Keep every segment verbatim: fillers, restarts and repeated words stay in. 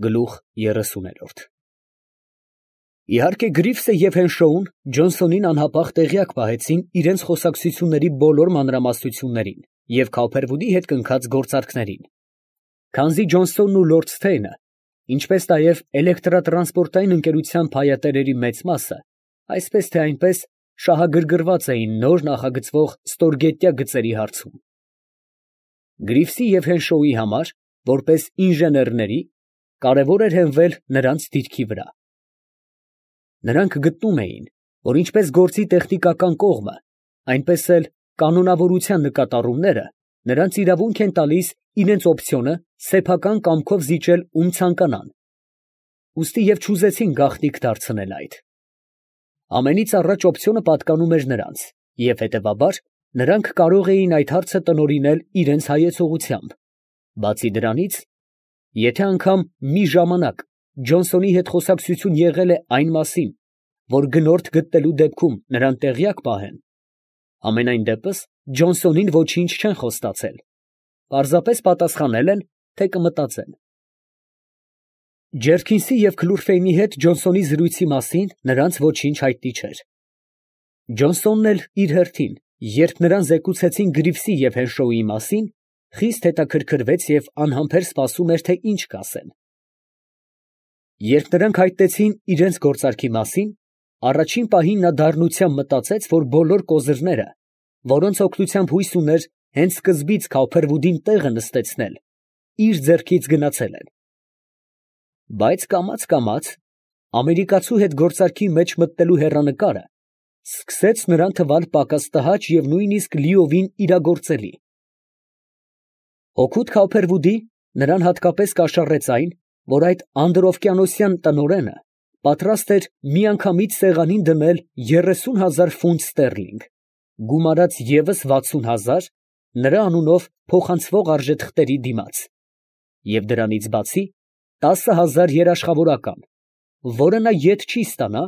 Գլուխ երեսուներորդ Իհարկե Գրիֆսը և Հենշոուն Ջոնսոնին անհապաղ տեղյակ պահեցին իրենց խոսակցությունների բոլոր մանրամասնություններին և Քауփերվուդի հետ կնքած գործարքներին, քանզի Ջոնսոնն ու լորդ Սթեյնը, ինչպես նաև էլեկտրատրանսպորտային ընկերության փայատերերի մեծ մասը, այսպես թե այնպես, շահագրգռված էին նոր նախագծվող ստորգետնյա գծերի հարցում։ Գրիֆսի և Հենշոուի համար, որպես ինժեներների, կարևոր էր հենվել նրանց դիրքի վրա։ Նրանք գտնում էին, որ ինչպես գործի տեխնիկական կողմը, այնպես էլ կանոնավորության նկատառումները նրանց իրավունք են տալիս իրենց օպցիոնը սեփական կամքով զիջել ում ցանկանան, ուստի և չուզեցին գաղտնիք դարձնել այդ։ Ամենից առաջ օպցիոնը պատկանում էր նրանց, և հետևաբար նրանք կարող էին այդ հարցը տնօրինել իրենց հայեցողությամբ, բացի դրանից, եթե անգամ մի ժամանակ Ջոնսոնի հետ խոսակցություն եղել է այն մասին, որ գնորդ գտնելու դեպքում նրան տեղյակ պահեն, համենայն դեպս Ջոնսոնին ոչինչ չեն խոստացել, պարզապես պատասխանել են, թե կմտածեն։ Ջերքինսի և Քլուրֆեյնի հետ Ջոնսոնի զրույցի մասին նրանց ոչինչ հայտնի չէր։ Ջոնսոնն էլ իր հերթին, երբ նրան զեկուցեցին Գրիֆսի և Հենշոուի մասին, խիստ հետաքրքրվեց և անհամբեր սպասում էր, թե ինչ կասեն։ Երբ նրանք հայտնեցին իրենց գործարքի մասին, առաջին պահին նա դառնությամբ մտածեց, որ բոլոր կոզրները, որոնց օգնությամբ հույս ուներ հենց սկզբից Քауփերվուդին տեղը նստեցնել, իր ձեռքից գնացել են։ Բայց կամաց֊կամաց ամերիկացու հետ գործարքի մեջ մտնելու հեռանկարը սկսեց նրան թվալ պակաս տհաճ և նույնիսկ լիովին իրագործելի։ Օգուտ Քауփերվուդի նրան հատկապես կաշառեց այն, որ այդ անդրօվկիանոսյան տնօրենը պատրաստ էր միանգամից սեղանին դնել երեսուն հազար ֆունտ ստերլինգ, գումարած ևս վաթսուն հազար նրա անունով փոխանցվող արժեթղթերի դիմաց, և դրանից բացի տասը հազար երաշխավորական, որը նա ետ չի ստանա,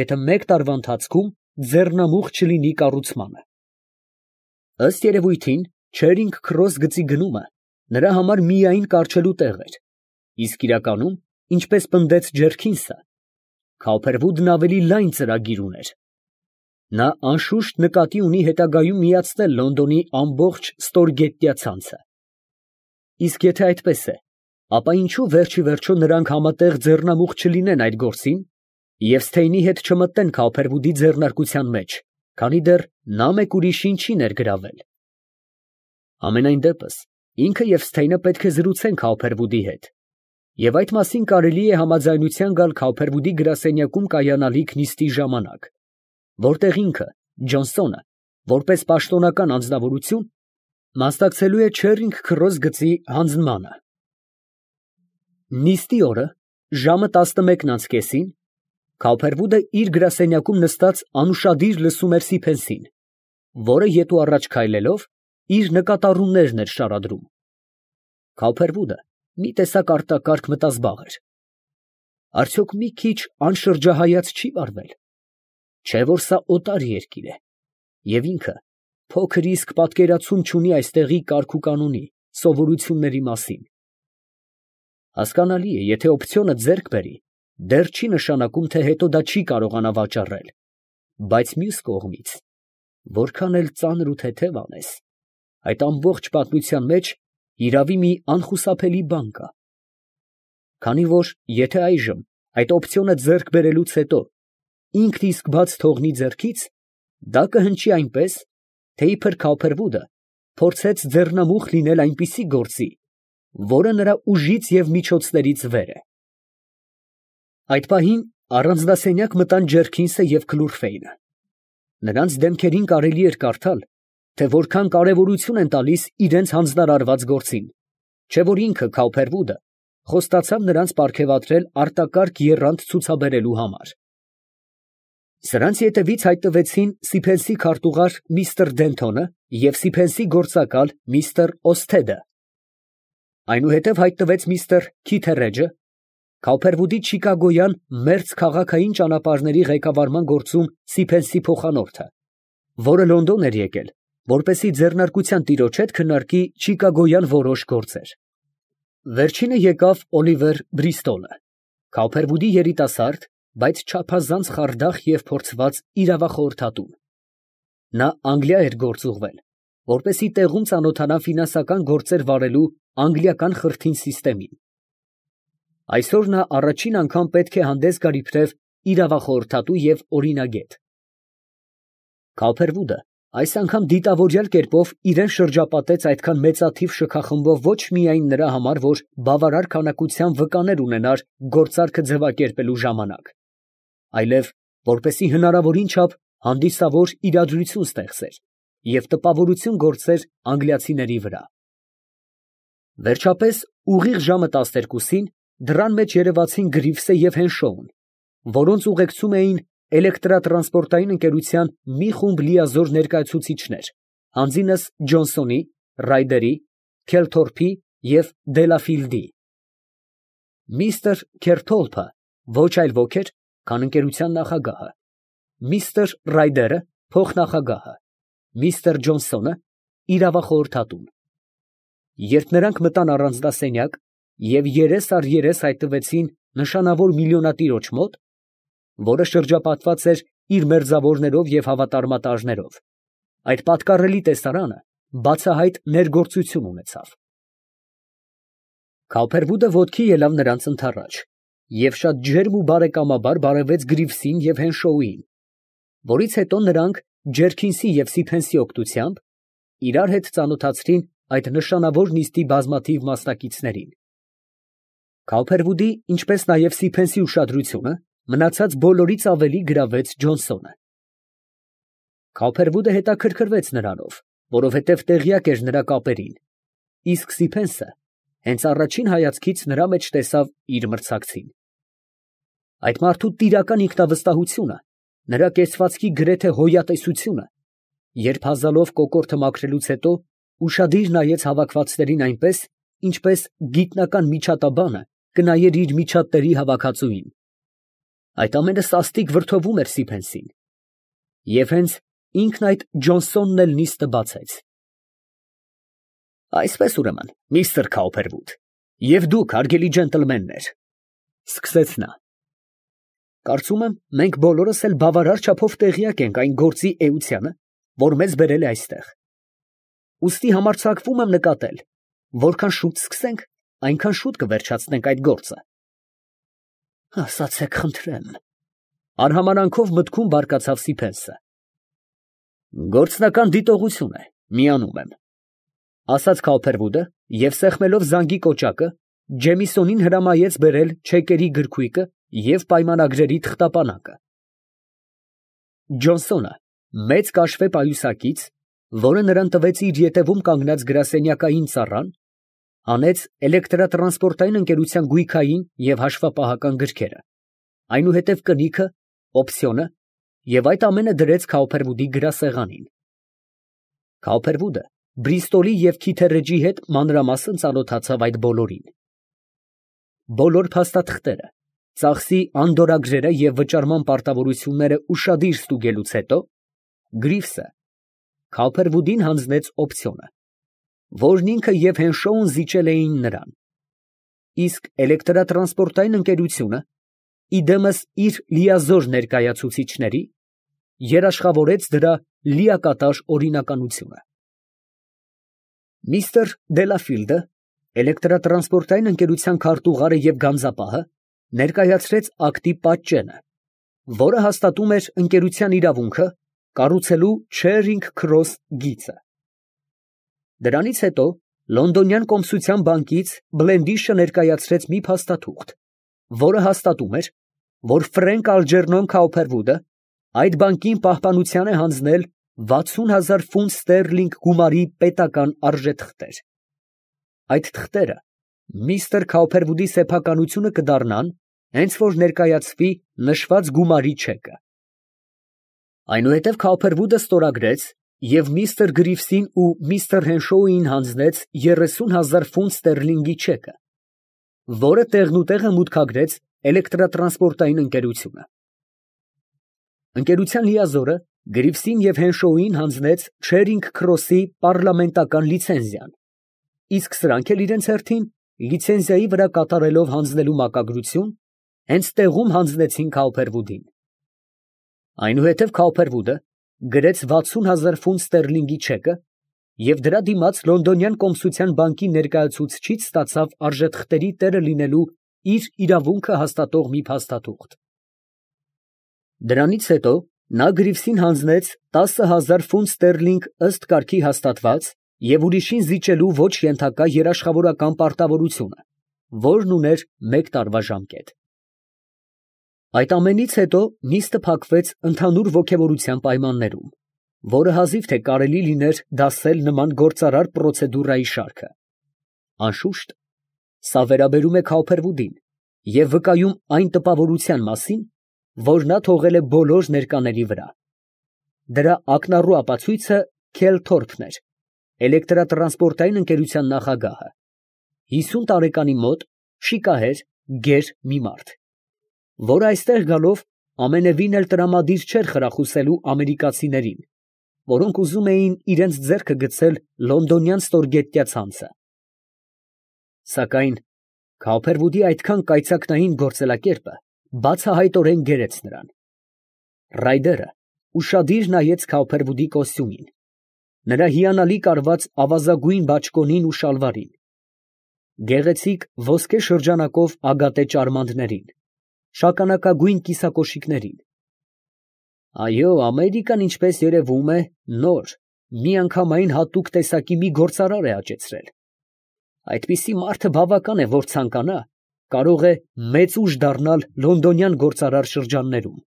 եթե մեկ տարվա ընթացքում ձեռնամուխ չլինի կառուցմանը։ Ըստ երևույթին, Չերինգ Քրոս գծի գնումը նրա համար միայն կառչելու տեղ էր, իսկ իրականում, ինչպես պնդեց Ջերքինսը, Քауփերվուդն ավելի լայն ծրագիր ուներ։ Նա անշուշտ նկատի ունի հետագայում միացնել Լոնդոնի ամբողջ ստորգետնյա ցանցը։ Իսկ եթե այդպես է, ապա ինչո՞ւ վերջիվերջո նրանք համատեղ ձեռնամուխ չլինեն այդ գործին և Սթեյնի հետ չմտնեն Քауփերվուդի ձեռնարկության մեջ, քանի դեռ նա մեկ ուրիշին չի ներգրավել։ Համենայն դեպս, ինքը և Սթեյնը պետք է զրուցեն Քауփերվուդի հետ, և այդ մասին կարելի է համաձայնության գալ Քауփերվուդի գրասենյակում կայանալիք նիստի ժամանակ, որտեղ ինքը, Ջոնսոնը, որպես պաշտոնական անձնավորություն, մասնակցելու է Չերինգ Քրոս գծի հանձնմանը։ Նիստի օրը, ժամը տասնմեկն անց կեսին, Քауփերվուդը իր գրասենյակում նստած անուշադիր լսում էր Սիփենսին, որը ետ ու առաջ քայլելով, իր նկատառումներն էր շարադրում։ Քауփերվուդը մի տեսակ արտակարգ մտազբաղ էր։ Արդյոք մի քիչ անշրջահայաց չի վարվել, չէ՞ որ սա օտար երկիր է, և ինքը փոքր իսկ պատկերացում չունի այստեղի կարգուկանոնի, սովորությունների մասին։ Հասկանալի է, եթե օպցիոնը ձեռք բերի, դեռ չի նշանակում, թե հետո դա չի կարողանա վաճառել, բայց մյուս կողմից, որքան էլ ծանր ու թեթև անես, այդ ամբողջ պատմության մեջ հիրավի մի անխուսափելի բան կա։ Քանի որ եթե այժմ այդ օպցիոնը ձեռք բերելուց հետո ինքն իսկ բաց թողնի ձեռքից, դա կհնչի այնպես, թե իբր Քауփերվուդը փորձեց ձեռնամուխ լինել այնպիսի գործի, որը նրա ուժից և միջոցներից վեր է։ Այդ պահին առանձնասենյակ մտան Ջերքինսը և Քլուրֆեյնը։ Նրանց դեմքերին կարելի էր կարդալ, թե որքան կարևորություն են տալիս իրենց հանձնարարված գործին, չէ՞ որ ինքը Քауփերվուդը խոստացավ նրանց պարգևատրել արտակարգ եռանդ ցուցաբերելու համար։ Սրանց ետևից հայտնվեցին Սիփենսի քարտուղար միստր Դենթոնը և Սիփենսի գործակալ միստր Օսթեդը։ Այնուհետև հայտնվեց միստր Քիթերեջը, Քауփերվուդի չիկագոյան մերձ քաղաքային ճանապարհների ղեկավարման գործում Սիփենսի փոխանորդը, որը Լոնդոն էր եկել, որպեսզի ձեռնարկության տիրոջ հետ քննարկի չիկագոյան որոշ գործեր։ Վերջինը եկավ Օլիվեր Բրիստոլը, Քաուփերվուդի երիտասարդ, բայց չափազանց խարդախ և փորձված իրավախորհրդատու։ Նա Անգլիա էր գործուղվել, որպեսզի տեղում ծանոթանա ֆինանսական գործեր վարելու անգլիական խրթին սիստեմին։ Այսօր նա առաջին անգամ պետք է հանդես գար իբրև իրավախորհրդատու և օրինագետ։ Քաուփերվուդը այս անգամ դիտավորյալ կերպով իրան շրջապատեց այդքան մեծաթիվ շքախմբով ոչ միայն նրա համար, որ բավարար քանակության վկաներ ունենար գործարքը ձևակերպելու ժամանակ, այլև որպեսզի հնարավորին չափ հանդիսավոր իրադրություն ստեղծեր և տպավորություն գործեր անգլիացիների վրա։ Վերջապես, ուղիղ ժամը տասներկուսին դռան մեջ երևացին Գրիվսը և Հենշոուն, որոնց ուղեկցում էին էլեկտրատրանսպորտային ընկերության մի խումբ լիազոր ներկայացուցիչներ, հանձինս Ջոնսոնի, Ռայդերի, Քելթորփի և Դելաֆիլդի։ Միսթր Քերթոլփը ոչ այլ ոք էր, քան ընկերության նախագահը, միսթր Ռայդերը փոխնախագահը, միսթր Ջոնսոնը իրավախորհրդատուն։ Երբ նրանք մտան առանձնասենյակ և երես առ երես հայտնվեցին նշանավոր միլիոնատիրոջ մոտ, որը շրջապատված էր իր մերձավորներով և հավատարմատաժներով, այդ պատկառելի տեսարանը բացահայտ ներգործություն ունեցավ։ Քաուփերվուդը ոտքի ելավ նրանց ընդառաջ և շատ ջերմ ու բարեկամաբար բարևեց Գրիվսին և Հենշոուին, որից հետո նրանք Ջերքինսի և Սիփենսի օգնությամբ իրար հետ ծանոթացրին այդ նշանավոր նիստի բազմաթիվ մասնակիցներին։ Քաուփերվուդի, ինչպես նաև Սիփենսի ուշադրությունը մնացած բոլորից ավելի գրավեց Ջոնսոնը։ Քաուփերվուդը հետաքրքրվեց նրանով, որովհետև տեղյակ էր նրա կապերին, իսկ Սիփենսը հենց առաջին հայացքից նրա մեջ տեսավ իր մրցակցին։ Այդ մարդու տիրական ինքնավստահությունը, նրա կեցվածքի գրեթե հոյատեսությունը, երբ հազալով կոկորդը մաքրելուց հետո ուշադիր նայեց հավաքվածներին այնպես, ինչպես գիտնական միջատաբանը կնայեր իր միջատների հավաքածուին, այդ ամենը սաստիկ վրդովում էր Սիփենսին, և հենց ինքն այդ Ջոնսոնն էլ նիստը բացեց։ Այսպես ուրեմն, միստր Քաուփերվուդ, և դուք, հարգելի ջենտլմեններ, ֊ սկսեց նա, ֊ կարծում եմ, մենք բոլորս էլ բավարար չափով տեղյակ ենք այն գործի էությանը, որ մեզ բերել է այստեղ. ուստի համարձակվում եմ նկատել, որքան շուտ սկսենք, այնքան շուտ կվերջացնենք այդ գործը։ ֊ Ասացեք, խնդրեմ, ֊ արհամարանքով մտքում բարկացավ Սիփենսը։ ֊ Գործնական դիտողություն է, միանում եմ, ֊ ասաց Քաուփերվուդը և սեղմելով զանգի կոճակը, Ջեմիսոնին հրամայեց բերել չեկերի գրքույկը և պայմանագրերի թղթապանակը։ Ջոնսոնը մեծ կաշվե պայուսակից, որը նրան տվեց իր ետևում կանգնած գրասենյակային ծառան, հանեց էլեկտրատրանսպորտային ընկերության գույքային և հաշվապահական գրքերը, այնուհետև կնիքը, օպցիոնը և այդ ամենը դրեց Քաուփերվուդի գրասեղանին։ Քաուփերվուդը Բրիստոլի և Քիթերեջի հետ մանրամասն ծանոթացավ այդ բոլորին։ Բոլոր փաստաթղթերը, ծախսի անդորրագրերը և վճարման պարտավորությունները ուշադիր ստուգելուց հետո, Գրիվսը Քաուփերվուդին հանձնեց օպցիոնը, որն ինքը և Հենշոուն զիջել էին նրան, իսկ էլեկտրատրանսպորտային ընկերությունը, իդեմս իր լիազոր ներկայացուցիչների, երաշխավորեց դրա լիակատար օրինականությունը։ Միսթր Դելաֆիլդը, էլեկտրատրանսպորտային ընկերության քարտուղարը և գանձապահը, ներկայացրեց ակտի պատճենը, որը հաստատում էր ընկերության իրավունքը կառուցելու Չերինգ Քրոս գիծը։ Դրանից հետո Լոնդոնյան կոմսության բանկից Բլենդիշը ներկայացրեց մի փաստաթուղթ, որը հաստատում էր, որ Ֆրենկ Ալջերնոն Քաուփերվուդը այդ բանկին պահպանության է հանձնել վաթսուն հազար ֆունտ ստերլինգ գումարի պետական արժեթղթեր։ Այդ թղթերը միստր Քաուփերվուդի սեփականությունը կդառնան, հենց որ ներկայացվի նշված գումարի չեկը։ Այնուհետև Քաուփերվուդը ստորագրեց և միստր Գրիվսին ու միստր Հենշոուին հանձնեց երեսուն հազար ֆունտ ստերլինգի չեկը, որը տեղնուտեղը մուտքագրեց էլեկտրատրանսպորտային ընկերությունը։ Ընկերության լիազորը Գրիվսին և Հենշոուին հանձնեց Չերինգ Քրոսի պառլամենտական լիցենզիան, իսկ սրանք էլ իրենց հերթին լիցենզիայի վրա կատարելով հանձնելու մակագրություն, հենց տեղում հանձնեցին Քաուփերվուդին։ Այնուհետև Քաուփերվուդը գրեց վաթսուն հազար ֆունտ ստերլինգի չեկը և դրա դիմաց Լոնդոնյան կոմսության բանկի ներկայացուցչից ստացավ արժեթղթերի տերը լինելու իր իրավունքը հաստատող մի փաստաթուղթ։ Դրանից հետո նա Գրիվսին հանձնեց տասը հազար ֆունտ ստերլինգ ըստ կարգի հաստատված և ուրիշին զիջելու ոչ ենթակա երաշխավորական պարտավորությունը, որն ուներ մեկ տարվա ժամկետ։ Այդ ամենից հետո նիստը փակվեց ընդհանուր ոգևորության պայմաններում, որը հազիվ թե կարելի լիներ դասել նման գործարար պրոցեդուրայի շարքը։ Անշուշտ, սա վերաբերում է Քաուփերվուդին և վկայում այն տպավորության մասին, որ նա թողել է բոլոր ներկաների վրա։ Դրա ակնառու ապացույցը Քել Թորփն էր, էլեկտրատրանսպորտային ընկերության նախագահը, հիսուն տարեկանի մոտ, շիկահեր, գեր մի մարդ, որը այստեղ գալով ամենևին էլ տրամադիր չէր խրախուսելու ամերիկացիներին, որոնք ուզում էին իրենց ձեռքը գցել լոնդոնյան ստորգետնյա ցանցը։ Սակայն Քաուփերվուդի այդքան կայծակնային գործելակերպը բացահայտորեն գերեց նրան։ Ռայդերը ուշադիր նայեց Քաուփերվուդի կոստյումին, նրա հիանալի կարված ավազագույն բաճկոնին ու շալվարին, գեղեցիկ ոսկե շրջանակով ագատե ճարմանտներին, շագանակագույն կիսակոշիկներին։ Այո, Ամերիկան, ինչպես երևում է, նոր, միանգամայն հատուկ տեսակի մի գործարար է աճեցրել։ Այդպիսի մարդը բավական է, որ ցանկանա, կարող է մեծ ուժ դառնալ լոնդոնյան գործարար շրջաններում։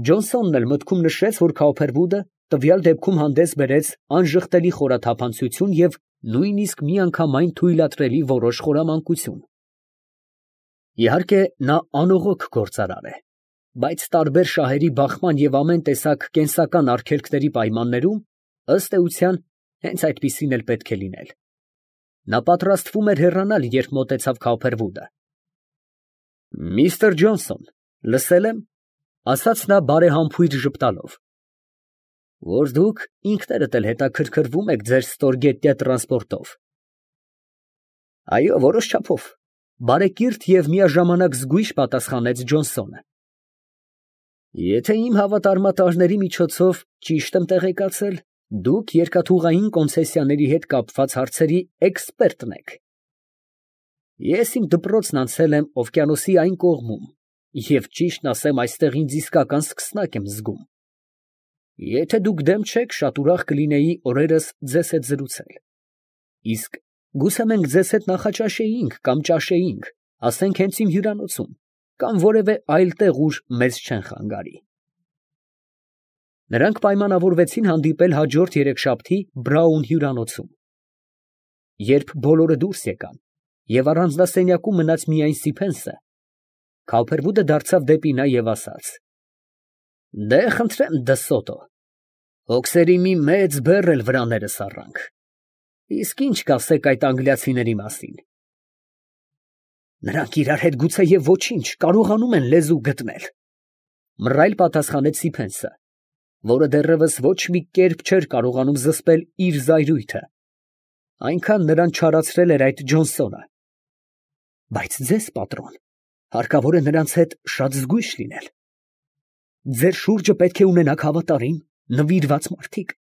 Ջոնսոնն էլ մտքում նշեց, որ Քաուփերվուդը տվյալ դեպքում հանդես բերեց անժխտելի խորաթափանցություն և նույնիսկ միանգամայն թույլատրելի որոշ խորամանկություն։ Իհարկե, նա անողոք գործարար է, բայց տարբեր շահերի բախման և ամեն տեսակ կենսական արգելքների պայմաններում, ըստ էության, հենց այդպիսին էլ պետք է լինել։ Նա պատրաստվում էր հեռանալ, երբ մոտեցավ Քաուփերվուդը։ Միստր Ջոնսոն, լսել եմ, ֊ ասաց նա բարեհամբույր ժպտալով, որ դուք ինքներդ էլ հետաքրքրվում եք ձեր ստորգետնյա տրանսպորտով։ Այո, որոշ չափով, ֊ բարեկիրթ և միաժամանակ զգույշ պատասխանեց Ջոնսոնը։ Եթե իմ հավատարմատարների միջոցով ճիշտ եմ տեղեկացել, դուք երկաթուղային կոնցեսիաների հետ կապված հարցերի էքսպերտն եք։ Ես իմ դպրոցն անցել եմ օվկիանոսի այն կողմում և, ճիշտն ասեմ, այստեղ ինձ իսկական սկսնակ եմ զգում։ Եթե դուք դեմ չեք, շատ ուրախ կլինեի օրերս ձեզ հետ զրուցել։ Իսկ գուցե մենք ձեզ հետ նախաճաշեինք կամ ճաշեինք, ասենք հենց իմ հյուրանոցում, կամ որևէ այլ տեղ, ուր մեզ չեն խանգարի։ Նրանք պայմանավորվեցին հանդիպել հաջորդ երեքշաբթի Բրաուն հյուրանոցում։ Երբ բոլորը դուրս եկան և առանձնասենյակում մնաց միայն Սիփենսը, Քաուփերվուդը դարձավ դեպի նա և ասաց. Դե, խնդրեմ, Դսոտո, հոգսերի մի մեծ բեռ էլ վրաներս առանք, իսկ ի՞նչ կասեք այդ անգլիացիների մասին։ Նրանք իրար հետ գուցեև ոչինչ, կարողանում են լեզու գտնել, ֊ մռայլ պատասխանեց Սիփենսը, որը դեռևս ոչ մի կերպ չէր կարողանում զսպել իր զայրույթը, այնքան նրան չարացրել էր այդ Ջոնսոնը։ Բայց ձեզ, պատրոն, հարկավոր է նրանց հետ շատ զգույշ լինել։ Ձեր շուրջը պետք է ունենաք հավատարիմ, նվիրված մարդիկ,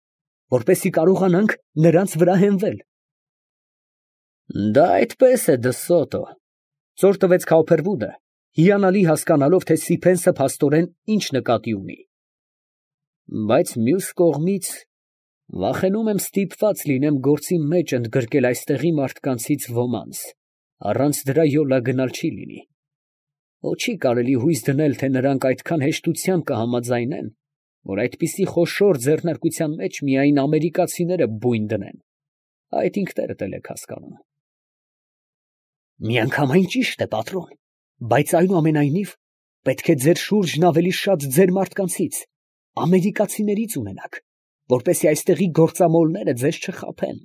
որպեսզի կարողանանք նրանց վրա հենվել։ Դա այդպես է, Դսոտո, ֊ ծոր տվեց Քաուփերվուդը, հիանալի հասկանալով, թե Սիփենսը փաստորեն ինչ նկատի ունի։ Բայց մյուս կողմից, վախենում եմ ստիպված լինեմ գործի մեջ ընդգրկել այստեղի մարդկանցից ոմանց, առանց դրա յոլա գնալ չի լինի։ Ոչ չի կարելի հույս դնել, թե նրանք այդքան հեշտությամբ կհամաձայնեն, որ այդպիսի խոշոր ձեռնարկության մեջ միայն ամերիկացիները բույն դնեն։ Այդ ինքներդ էլ եք հասկանում։ Միանգամայն ճիշտ է, պատրոն, բայց այնուամենայնիվ պետք է ձեր շուրջն ավելի շատ ձեր մարդկանցից, ամերիկացիներից ունենաք, որպեսզի այստեղի գործամոլները ձեզ չխաբեն։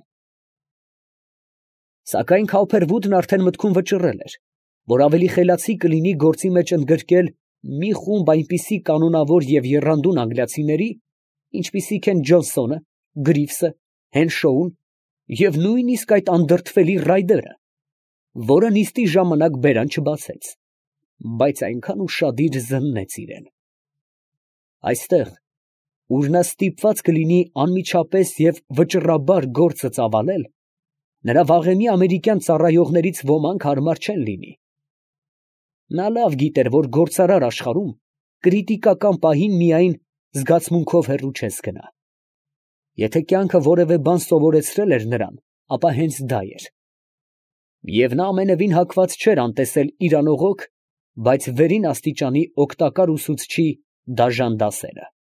Սակայն Քաուփերվուդն արդեն մտքում վճռել էր, որ ավելի խելացի կլինի գործի մեջ ընդգրկել մի խումբ այնպիսի կանոնավոր և եռանդուն անգլիացիների, ինչպիսիք են Ջոնսոնը, Գրիվսը, Հենշոուն և նույնիսկ այդ անդրդվելի ռայդերը, որը նիստի ժամանակ բերան չբացեց, բայց այնքան ուշադիր զննեց իրան։ Այստեղ, ուր նա ստիպված կլինի անմիջապես և վճռաբար գործը ծավալել, նրա վաղեմի ամերիկյան ծառայողներից ոմանք հարմար չեն լինի։ Նա լավ գիտեր, որ գործարար աշխարհում կրիտիկական պահին միայն զգացմունքով հեռու չես գնա։ Եթե կյանքը որևէ բան սովորեցրել էր նրան, ապա հենց դա էր։ Եվ նա ամենևին հակված չէր անտեսել իր անողոք, բայց վերին աստիճանի օգտակար ուսուցչի դաժան դասերը։